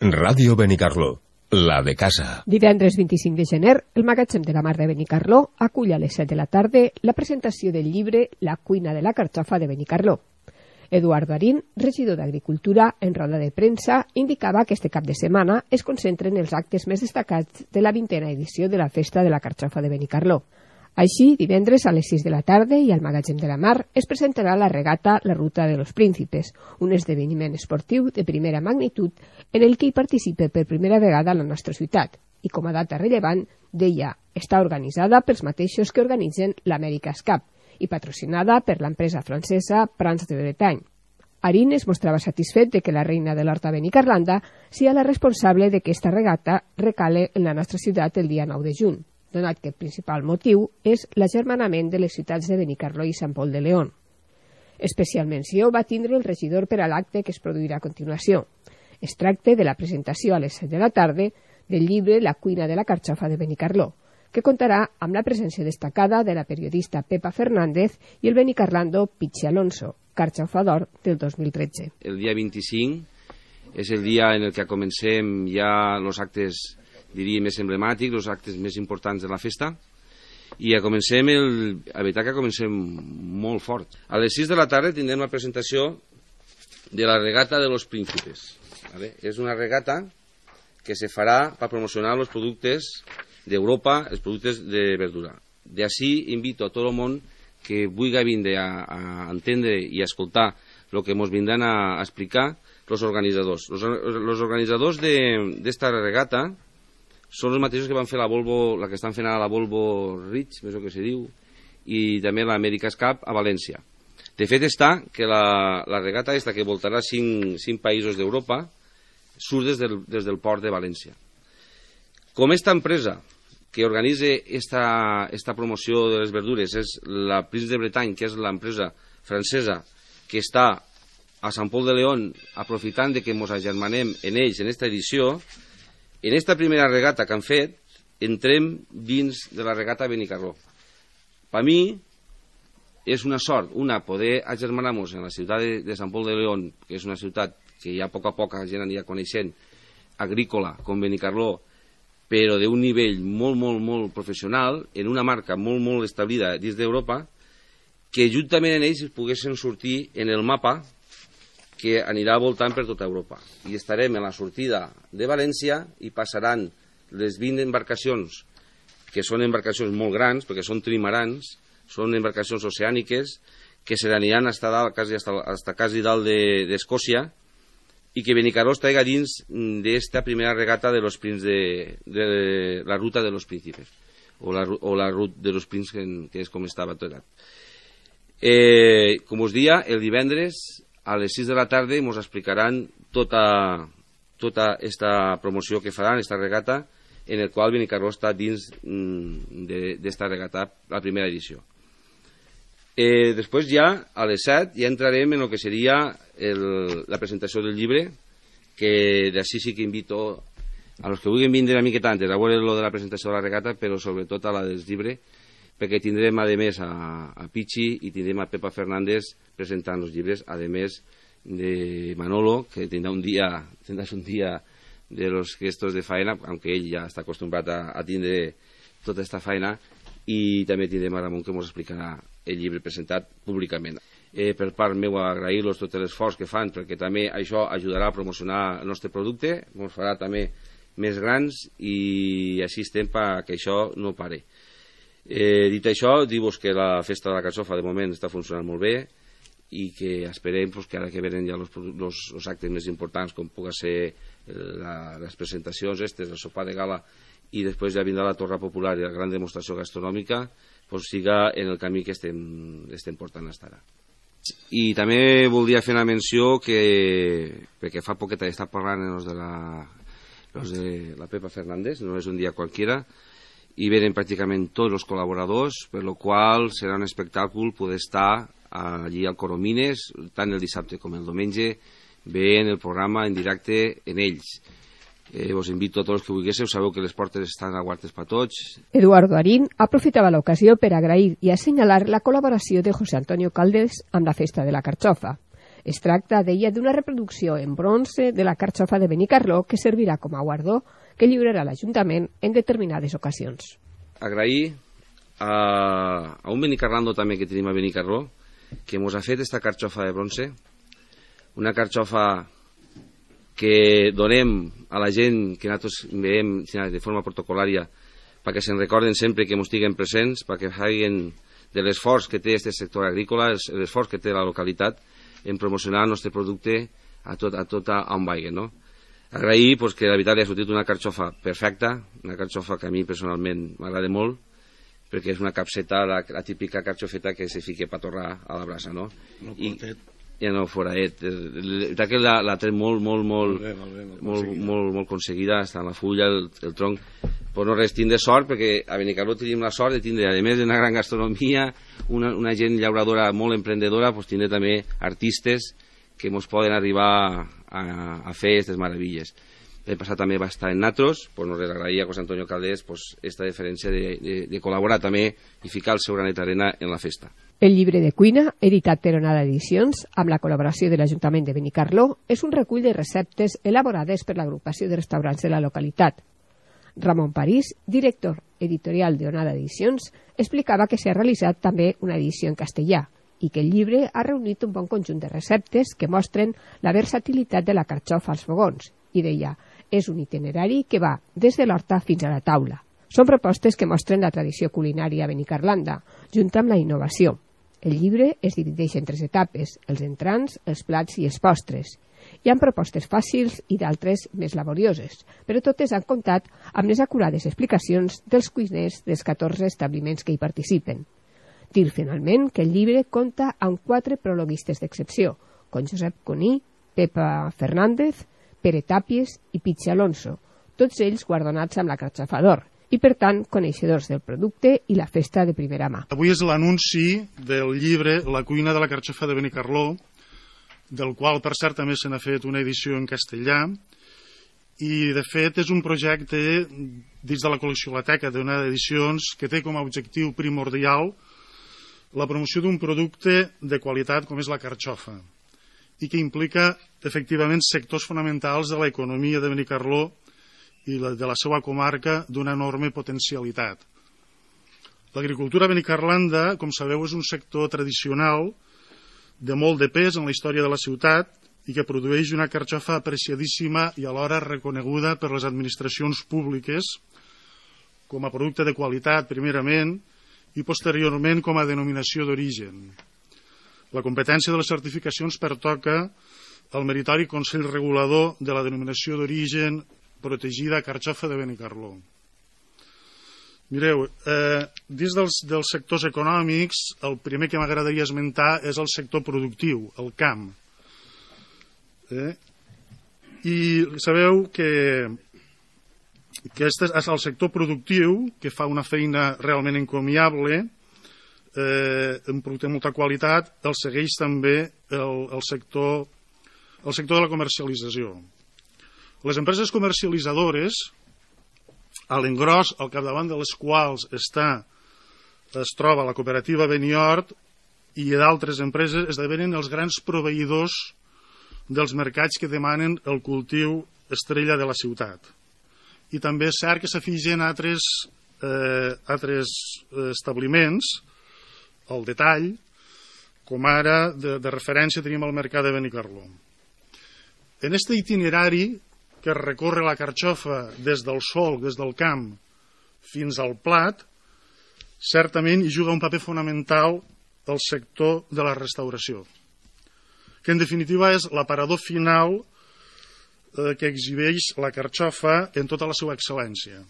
Ràdio Benicarló, la de casa. Divendres 25 de gener, el magatzem de la Mar de Benicarló acull a les 7 de la tarda la presentació del llibre La cuina de la carxofa de Benicarló. Eduardo Arín, regidor d'Agricultura, en roda de premsa, indicava que este cap de setmana es concentren els actes més destacats de la 20a edició de la Festa de la Carxofa de Benicarló. Així, divendres a les 6 de la tarda i al magatzem de la Mar es presentarà la regata La Ruta de los Príncipes, un esdeveniment esportiu de primera magnitud en el que hi participa per primera vegada la nostra ciutat i, com a data rellevant, deia, està organitzada pels mateixos que organitzen l'America's Cup i patrocinada per l'empresa francesa Prance de Bretagne. Arín es mostrava satisfet de que la reina de l'Horta Benicarlanda sia la responsable de que esta regata recale en la nostra ciutat el dia 9 de juny, donat que el principal motiu és l'agermanament de les ciutats de Benicarló i Sant Pol de León. Especial menció va tindre el regidor per a l'acte que es produirà a continuació. Es tracta de la presentació a les 7 de la tarda del llibre La cuina de la carxofa de Benicarló, que contarà amb la presència destacada de la periodista Pepa Fernández i el benicarlando Pichi Alonso, carxofador del 2013. El dia 25 és el dia en el que comencem ja els actes, diria, més emblemàtics, els actes més importants de la festa, i a veritat que comencem molt fort. A les 6 de la tarda tindrem la presentació de la regata de los príncipes. ¿Vale? És una regata que se farà per promocionar els productes d'Europa, els productes de verdura. D'ací invito a tot el món que vulgui vindre a entendre i a escoltar el que ens vindran a explicar els organitzadors. Els organitzadors d'esta regata són els mateixos que van fer la Volvo, la que estan fent ara la Volvo Ridge, és el que se diu, i també l'America's Cup a València. De fet està que la regata aquesta que voltarà 5 països d'Europa surt des del port de València. Com esta empresa que organitza esta promoció de les verdures és la Prance de Bretagne, que és l'empresa francesa que està a Sant Pol de León aprofitant de que ens agermanem en ells en esta edició, en esta primera regata que han fet, entrem dins de la regata Benicarló. Per mi és una sort, poder agermanar-nos en la ciutat de Sant Pol de León, que és una ciutat que ja a poc la gent anirà coneixent, agrícola, com Benicarló, però d'un nivell molt professional, en una marca molt establida dins d'Europa, que juntament en ells poguessin sortir en el mapa que anirà voltant per tota Europa. I estarem en la sortida de València i passaran les 20 embarcacions, que són embarcacions molt grans, perquè són trimarans, són embarcacions oceàniques, que se n'aniran hasta quasi dalt d'Escòcia, i que Benicarló estarà dins d'esta primera regata de la Ruta de los Príncipes, o la Ruta de los Príncipes, que és com estava tot. Com us dia, el divendres a les 6 de la tarda ens explicaran tota esta promoció que faran, esta regata, en el qual Benicarló està dins d'esta regata, la primera edició. Després ja, a les 7, ja entrarem en el que seria la presentació del llibre, que d'ací sí que invito a los que vulguin vindre una miqueta antes a veure lo de la presentació de la regata, però sobretot a la del llibre, perquè tindrem a més a Pichi i tindrem a Pepa Fernández presentant els llibres, a més de Manolo, que tindrà un dia de los gestos de faena, aunque ell ja està acostumbrat a tindre tota aquesta faena, i també tindrem a Ramon que ens explicarà el llibre presentat públicament. Per part meva, agrair-los tot l'esforç que fan, perquè també això ajudarà a promocionar el nostre producte, ens farà també més grans i així estem perquè això no pare. Dit això, dir-vos que la festa de la carxofa de moment està funcionant molt bé i que esperem que ara que venen ja els actes més importants, com pugui ser les presentacions, el sopar de gala, i després ja vindrà la torra popular i la gran demostració gastronòmica, siga en el camí que estem portant fins ara. I també voldria fer una menció perquè fa poqueta està parlant els de la Pepa Fernández, no és un dia qualquiera, i venen pràcticament tots els col·laboradors, per lo qual serà un espectacle poder estar allí al Coromines, tant el dissabte com el diumenge, veient el programa en directe en ells. Vos invito a tots els que vulguéssiu, sabeu que les portes estan obertes per tots. Eduardo Arín aprofitava l'ocasió per agrair i assenyalar la col·laboració de José Antonio Caldes amb la Festa de la Carxofa. Es tracta, deia, d'una reproducció en bronze de la carxofa de Benicarló que servirà com a guardó que lliurarà l'Ajuntament en determinades ocasions. Agrair a un benicarlando també que tenim a Benicarló que ens ha fet esta carxofa de bronze, una carxofa que donem a la gent que nosaltres veiem de forma protocolària perquè se'n recorden sempre que ens estiguen presents, perquè facin de l'esforç que té aquest sector agrícola, l'esforç que té la localitat en promocionar el nostre producte a tot on vagi, no? Agrair que la veritat li ha sortit una carxofa perfecta, una carxofa que a mi personalment m'agrada molt, perquè és una capseta, la típica carxofeta que se fica per torrar a la brasa, no? Ja no foraet. Que la té molt aconseguida, està en la fulla, el tronc. Però no res, tindre sort, perquè a Benicarló tenim la sort de tindre, a més d'una gran gastronomia, una gent llauradora molt emprendedora, tindre també artistes que ens poden arribar a fer aquestes meravilles. L'any passat també va estar en Natros, no res, agrair a José Antonio Caldés aquesta diferència de col·laborar també i ficar el seu granet d'arena en la festa. El llibre de cuina, editat per Onada Edicions, amb la col·laboració de l'Ajuntament de Benicarló, és un recull de receptes elaborades per l'agrupació de restaurants de la localitat. Ramon París, director editorial de Onada Edicions, explicava que s'ha realitzat també una edició en castellà i que el llibre ha reunit un bon conjunt de receptes que mostren la versatilitat de la carxofa als fogons i deia, és un itinerari que va des de l'horta fins a la taula. Són propostes que mostren la tradició culinària benicarlanda, junt amb la innovació. El llibre es divideix en 3 etapes, els entrants, els plats i els postres. Hi ha propostes fàcils i d'altres més laborioses, però totes han comptat amb les acurades explicacions dels cuiners dels 14 establiments que hi participen. Dir finalment que el llibre compta amb 4 prologuistes d'excepció, com Josep Cuní, Pepa Fernández, Pere Tàpies i Pitxi Alonso, tots ells guardonats amb la carxofa d'or i, per tant, coneixedors del producte i la festa de primera mà. Avui és l'anunci del llibre La cuina de la carxofa de Benicarló, del qual, per cert, també se n'ha fet una edició en castellà, i, de fet, és un projecte dins de la col·lecció d'Onada Edicions que té com a objectiu primordial la promoció d'un producte de qualitat com és la carxofa, i que implica, efectivament, sectors fonamentals de l'economia de Benicarló i de la seva comarca d'una enorme potencialitat. L'agricultura benicarlanda, com sabeu, és un sector tradicional de molt de pes en la història de la ciutat i que produeix una carxofa apreciadíssima i alhora reconeguda per les administracions públiques com a producte de qualitat, primerament, i posteriorment com a denominació d'origen. La competència de les certificacions pertoca al meritori Consell Regulador de la denominació d'origen protegida carxofa de Benicarló. Mireu, dins dels sectors econòmics, el primer que m'agradaria esmentar és el sector productiu, el camp. I sabeu que aquest és el sector productiu que fa una feina realment encomiable, un producte de molta qualitat, el segueix també el sector de la comercialització. Les empreses comercialitzadores, a l'engròs, al capdavant de les quals es troba la cooperativa Beniort i d'altres empreses, esdevenen els grans proveïdors dels mercats que demanen el cultiu estrella de la ciutat. I també és cert que s'afigen altres establiments al detall, com ara de referència tenim el mercat de Benicarló. En aquest itinerari que recorre la carxofa des del solc, des del camp, fins al plat, certament hi juga un paper fonamental el sector de la restauració, que en definitiva és l'aparador final que exhibeix la carxofa en tota la seva excel·lència.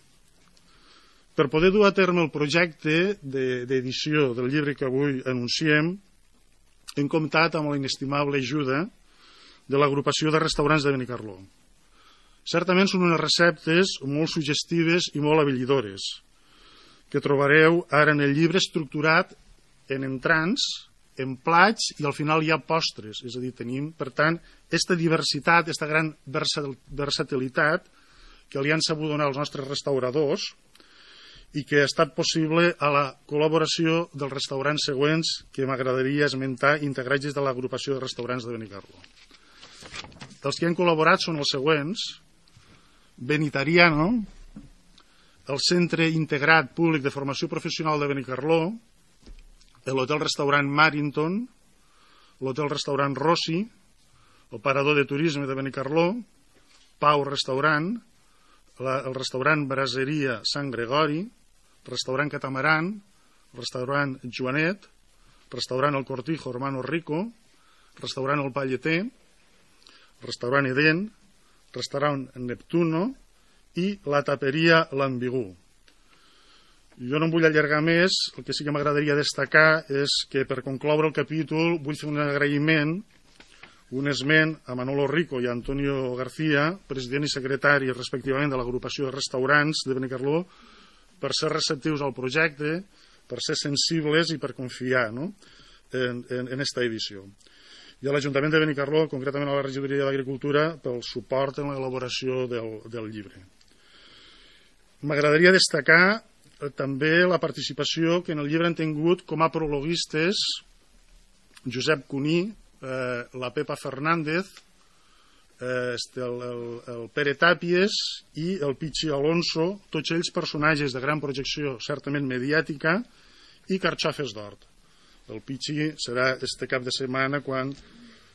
Per poder dur a terme el projecte d'edició del llibre que avui anunciem, hem comptat amb la inestimable ajuda de l'agrupació de restaurants de Benicarló. Certament són unes receptes molt suggestives i molt habilidores, que trobareu ara en el llibre estructurat en entrants, en plats i al final hi ha postres. És a dir, tenim, per tant, aquesta diversitat, aquesta gran versatilitat que li han sabut donar els nostres restauradors i que ha estat possible a la col·laboració dels restaurants següents que m'agradaria esmentar, integrats de l'agrupació de restaurants de Benicarló. Els que han col·laborat són els següents: Benitariano, el Centre Integrat Públic de Formació Professional de Benicarló, l'Hotel-Restaurant Marinton, l'Hotel-Restaurant Rossi, el Parador de Turisme de Benicarló, Pau Restaurant, el restaurant Braseria Sant Gregori, restaurant Catamaran, restaurant Joanet, restaurant El Cortijo Hermano Rico, restaurant El Palleter, restaurant Eden, restaurant Neptuno i la taperia L'Ambigú. Jo no em vull allargar més, el que sí que m'agradaria destacar és que per concloure el capítol vull fer un agraïment, un esment a Manolo Rico i a Antonio García, president i secretari respectivament de l'agrupació de restaurants de Benicarló, per ser receptius al projecte, per ser sensibles i per confiar, no?, en esta edició. I a l'Ajuntament de Benicarló, concretament a la Regidoria d'Agricultura, pel suport en l'elaboració del llibre. M'agradaria destacar també la participació que en el llibre han tingut com a prologuistes Josep Cuní, la Pepa Fernández, el Pere Tàpies i el Pichi Alonso, tots ells personatges de gran projecció certament mediàtica i carxofes d'hort. El Pichi serà este cap de setmana quan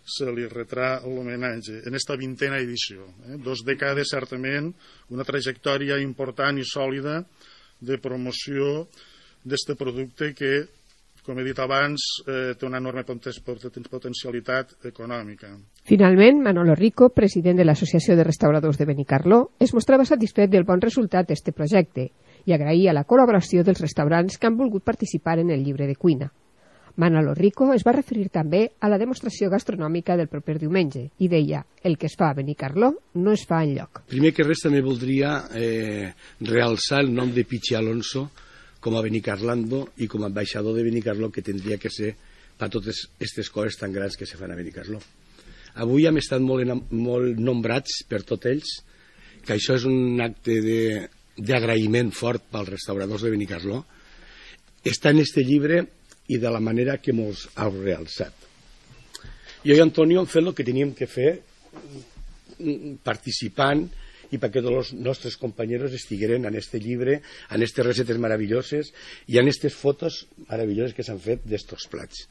se li retrà l'homenatge en esta 20a edició. 2 dècades, certament, una trajectòria important i sòlida de promoció d'este producte que, com he dit abans, té una enorme potencialitat econòmica. Finalment, Manolo Rico, president de l'Associació de Restauradors de Benicarló, es mostrava satisfet del bon resultat d'este projecte i agraïa la col·laboració dels restaurants que han volgut participar en el llibre de cuina. Manolo Rico es va referir també a la demostració gastronòmica del proper diumenge i deia: el que es fa a Benicarló no es fa enlloc. Primer que res també voldria realçar el nom de Pichi Alonso com a benicarlando i com a ambaixador de Benicarló, que tindria que ser per totes aquestes coses tan grans que se fan a Benicarló. Avui hem estat molt nombrats per tots ells, que això és un acte d'agraïment fort pels restauradors de Benicarló. Està en este llibre i de la manera que mos ha realçat. Jo i Antonio hem fet el que teníem que fer participant i perquè tots els nostres companys estigueren en este llibre, en aquestes recetes meravelloses i en aquestes fotos meravelloses que s'han fet d'estos plats.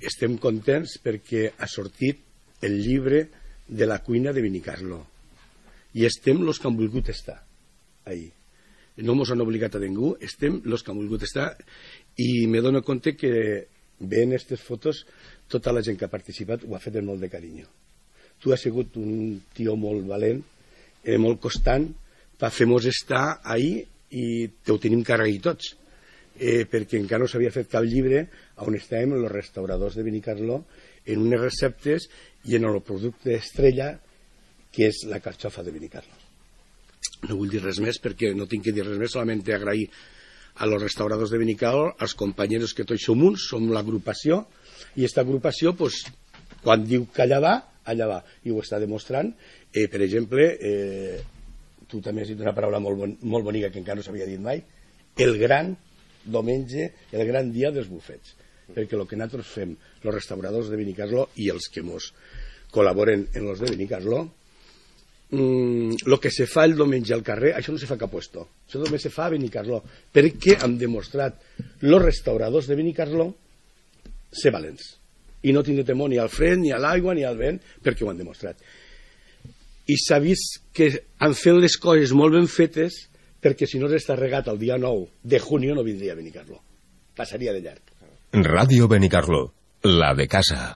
Estem contents perquè ha sortit el llibre de la cuina de Benicarló i estem els que han volgut estar ahí. No ens han obligat a ningú, estem els que han volgut estar i me dono compte que veient aquestes fotos tota la gent que ha participat ho ha fet amb molt de carinyo. Tu has sigut un tio molt valent, molt constant per fer-nos estar ahí i te ho tenim que agrair tots, perquè encara no s'havia fet cap llibre on estàvem els restauradors de Benicarló en unes receptes i en el producte estrella que és la carxofa de Benicarló. No vull dir res més perquè no tinc que dir res més, solament agrair a los restauradors de Benicarló, als companys que tots som uns, som l'agrupació, i aquesta agrupació, pues, quan diu que allà va, i ho està demostrant. Per exemple, tu també has dit una paraula molt bonica que encara no s'havia dit mai, el gran diumenge, el gran dia dels bufets, perquè el que nosaltres fem, els restauradors de Benicarló i els que ens col·laboren en els de Benicarló, el que se fa el diumenge al carrer, això no se fa a cap puesto, això només se fa a Benicarló, perquè han demostrat els restauradors de Benicarló ser valents i no tindre temor ni al fred, ni a l'aigua, ni al vent, perquè ho han demostrat. I s'ha vist que han fet les coses molt ben fetes, perquè si no s'està regat el dia 9 de junio no vindria a Benicarló, passaria de llarg. Radio Benicarló, la de casa.